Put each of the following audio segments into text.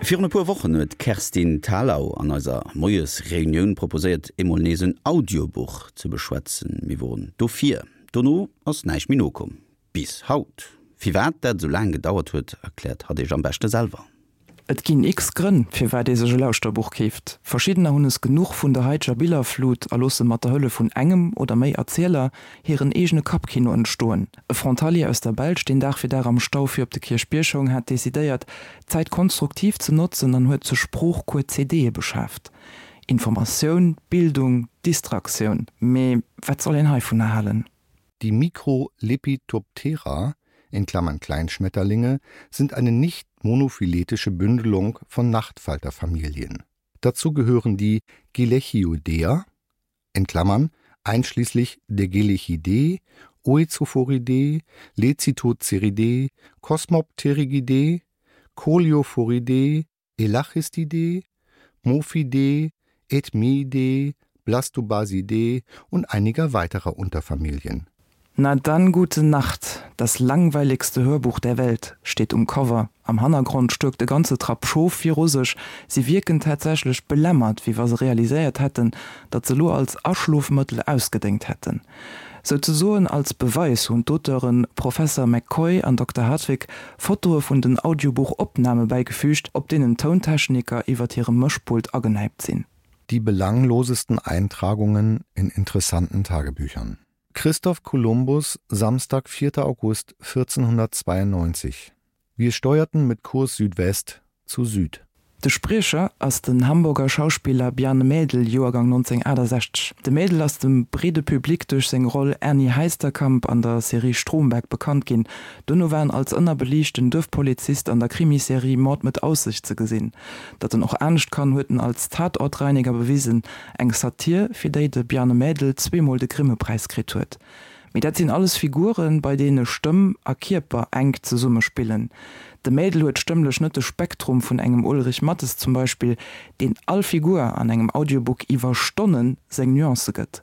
Virun e puer Wochen huet d'Kerstin Thalau an eiser Moiesreunioun proposéiert, emol nees en Audiobuch ze beschwätzen. Mir woren dofir. Dono ass näischt méi nokomm. Bis haut. Firwat dat esou laang gedauert huet, erkläert hatt iech am beschte selwer. Et ginn x Grënn, firwat ee sech e Lauschterbuch keeft. Verschiddener hunn es genuch vun der haiteger Billerflut a loosse mat der Hëllef vun engem oder méi Erzieler hiren eegene Kappkino entstoen. E Frontalier aus der Belsch, deen Dag fir Dag am Stau fir op de Kierchbierg houng, hat decidéiert, d'Zäit konstruktiv ze notzen an huet zur Sproochcours CDe beschaaft. Informatioun, Bildung, Distraktioun. Mee wat soll een heivunner halen? Die Microlepidoptera in Klammern (Kleinschmetterlinge) sind eine nicht monophyletische Bündelung von Nachtfalterfamilien. Dazu gehören die Gelechioidea in Klammern (einschließlich der Gelechiidae, Oecophoridae, Lecithoceridae, Cosmopterigidae, Coleophoridae, Elachistidae, Mophidae, Ethmiidae, Blastobasidae und einiger weiterer Unterfamilien. Na dann gute Nacht, das langweiligste Hörbuch der Welt steet um Cover. Am Hannergrond stuerkt e ganze Trapp Schof viru sech. Si wierken tatsächlech belämmert, wéi wa se realiséiert hätten, datt se elo als Aschlofmëttel ausgedéngt hätten. Souzesoen als Beweis hunn d'Auteuren Professer McCoy an Dokter Hartwig Fotoe vun den Audiobuch-Opname bäigefügt, op deenen d'Tountechniker iwwert hirem Mëschpult agenäipt sinn. Die belanglosesten Eintragungen in interessanten Tagebüchern. Christoph Kolumbus, Samstag, 4. August 1492. Wir steuerten mit Kurs Südwest zu Süd. De Spriecher ass den Hamburger Schauspiller Bjarne Mädel, Joergang 1968. De Mädel ass dem breede Public duerch seng Roll Ernie Heisterkamp an der Serie Stromberg bekannt ginn. Duerno war en als ënnerbeliichten Duerfpolizist an der Krimiserie Mord mit Aussicht ze gesinn. Datt en och anescht kann, huet en als Tatortreiniger bewisen, eng Satir, fir déi de Bjarne Mädel zweemol de Grimme-Präis kritt huet. Mee dat sinn alles Figuren, bei deene Stëmm a Kierper enk zesumme spillen. De Mädel huet stëmmlech net de Spektrum vun engem Ulrich Matthes zum Beispill, deen all Figur an engem Audiobook iwwer Stonne seng Nuancë gëtt.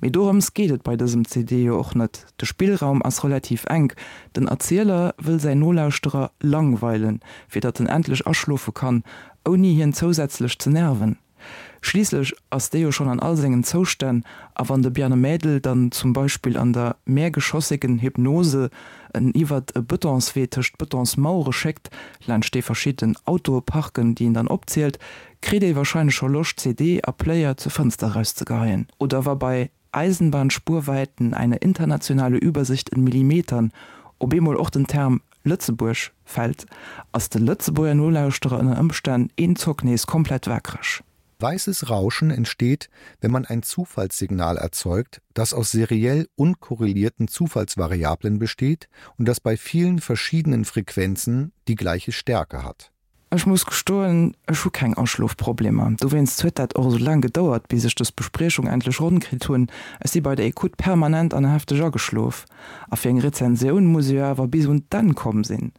Mee dorëms geet et bei dësem CD jo och net. De Spillraum ass relativ enk, den Erzieler wëll säin Nolauschterer langweilen, fir datt en endlech aschlofe kann, ouni hien zousätzlech ze nerven. Schliisslech ass dee jo schonn an all sengen Zoustänn, a wann de Bjarne Mädel dann zum Beispill an der mehrgeschossigen Hypnose en iwwert e Betonswee tëscht Betonsmauere schéckt, laanscht dee verschidden Autoe parken, déi en dann opzielt, kritt ee wahrscheinlech scho Loscht CD a Player zur Fënster erauszegeheien. Oder wa bei Eisenbahnspurweiten eine internationale Übersicht in Millimetern op eemol och den Term Lëtzebuerg fält, ass de Lëtzebuerger Nolauschterer ënner Ëmstänn een Zock nees komplett wakereg. Weißes Rauschen entsteht, wenn man ein Zufallssignal erzeugt, das aus seriell unkorrelierten Zufallsvariablen besteht und das bei vielen verschiedenen Frequenzen die gleiche Stärke hat. Ech muss gestoen, ech hu keng Aschlofproblemer. Dowéinst huet dat och esou laang gedauert, bis ech dës Bespriechung endlech ronn kritt hunn. Ech si bei der Ecoute permanent an hefteg ageschlof. A fir eng Rezensioun muss e jo awer bis un d'Enn komm sinn.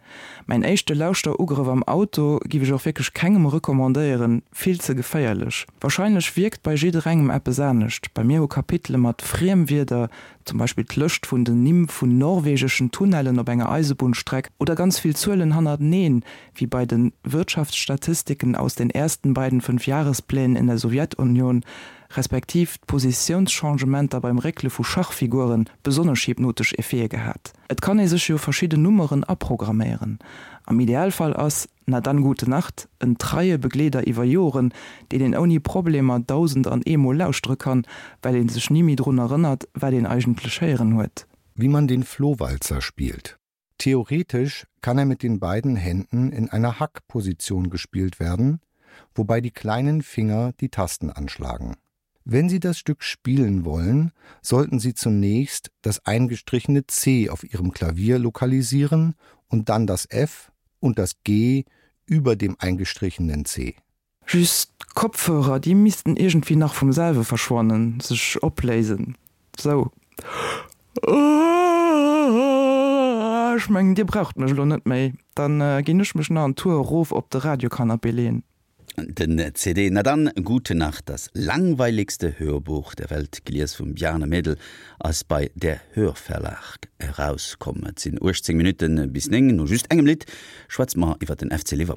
Mäin éischte Lauschterugrëff am Auto giff ech och wierklech kengem recommandéieren, vill ze geféierlech. Wahrscheinlech wierkt bei jidderengem eppes anescht. Bei mir hu Kapitele mat Friemwierder, zum Beispill d'Lëscht vun den Nimm vun norwegeschen Tunnellen op enger Eisebunnstreck oder ganz vill Zuelen hannerteneen, wéi bei den Wirtschaftsstatistiken aus den ersten beiden Fünfjahresplänen in der Sowjetunion, respektiv d'Positiounschangementer beim Réckele vu Schachfiguren, besonnesch hypnotesch Effete gehat. Et kann ee sech jo verschidden Nummeren aprogramméieren. Am Idealfall ass Na dann, gute Nacht en treie Begleeder iwwer Joren, deen een ouni Problemer 1001 Mol lauschtere kann, well ee sech ni méi drun erënnert, wat een eigentlech héieren huet. Wie man den Flohwalzer spielt. Theoretisch kann er mit den beiden Händen in einer Hackposition gespielt werden, wobei die kleinen Finger die Tasten anschlagen. Wenn Sie das Stück spielen wollen, sollten Sie zunächst das eingestrichene C auf Ihrem Klavier lokalisieren und dann das F und das G über dem eingestrichenen C. Just d'Kopfhörer, déi missten iergendwéi nach vum selwe verschwannen, sech opléisen. Sou. Ech mengen, dir braucht mech elo net méi. Dann ginn ech mech nach en Tour erof op de Radiocanapé leen. Den CD Na dann, gute Nacht, das langweiligste Hörbuch der Welt, gelies vum Bjarne Mädel, ass bei Der Hörverlag erauskomm. Et sinn 18 Minutte bis 9. No just engem Lidd schwätze mer iwwer den FC Liverpool.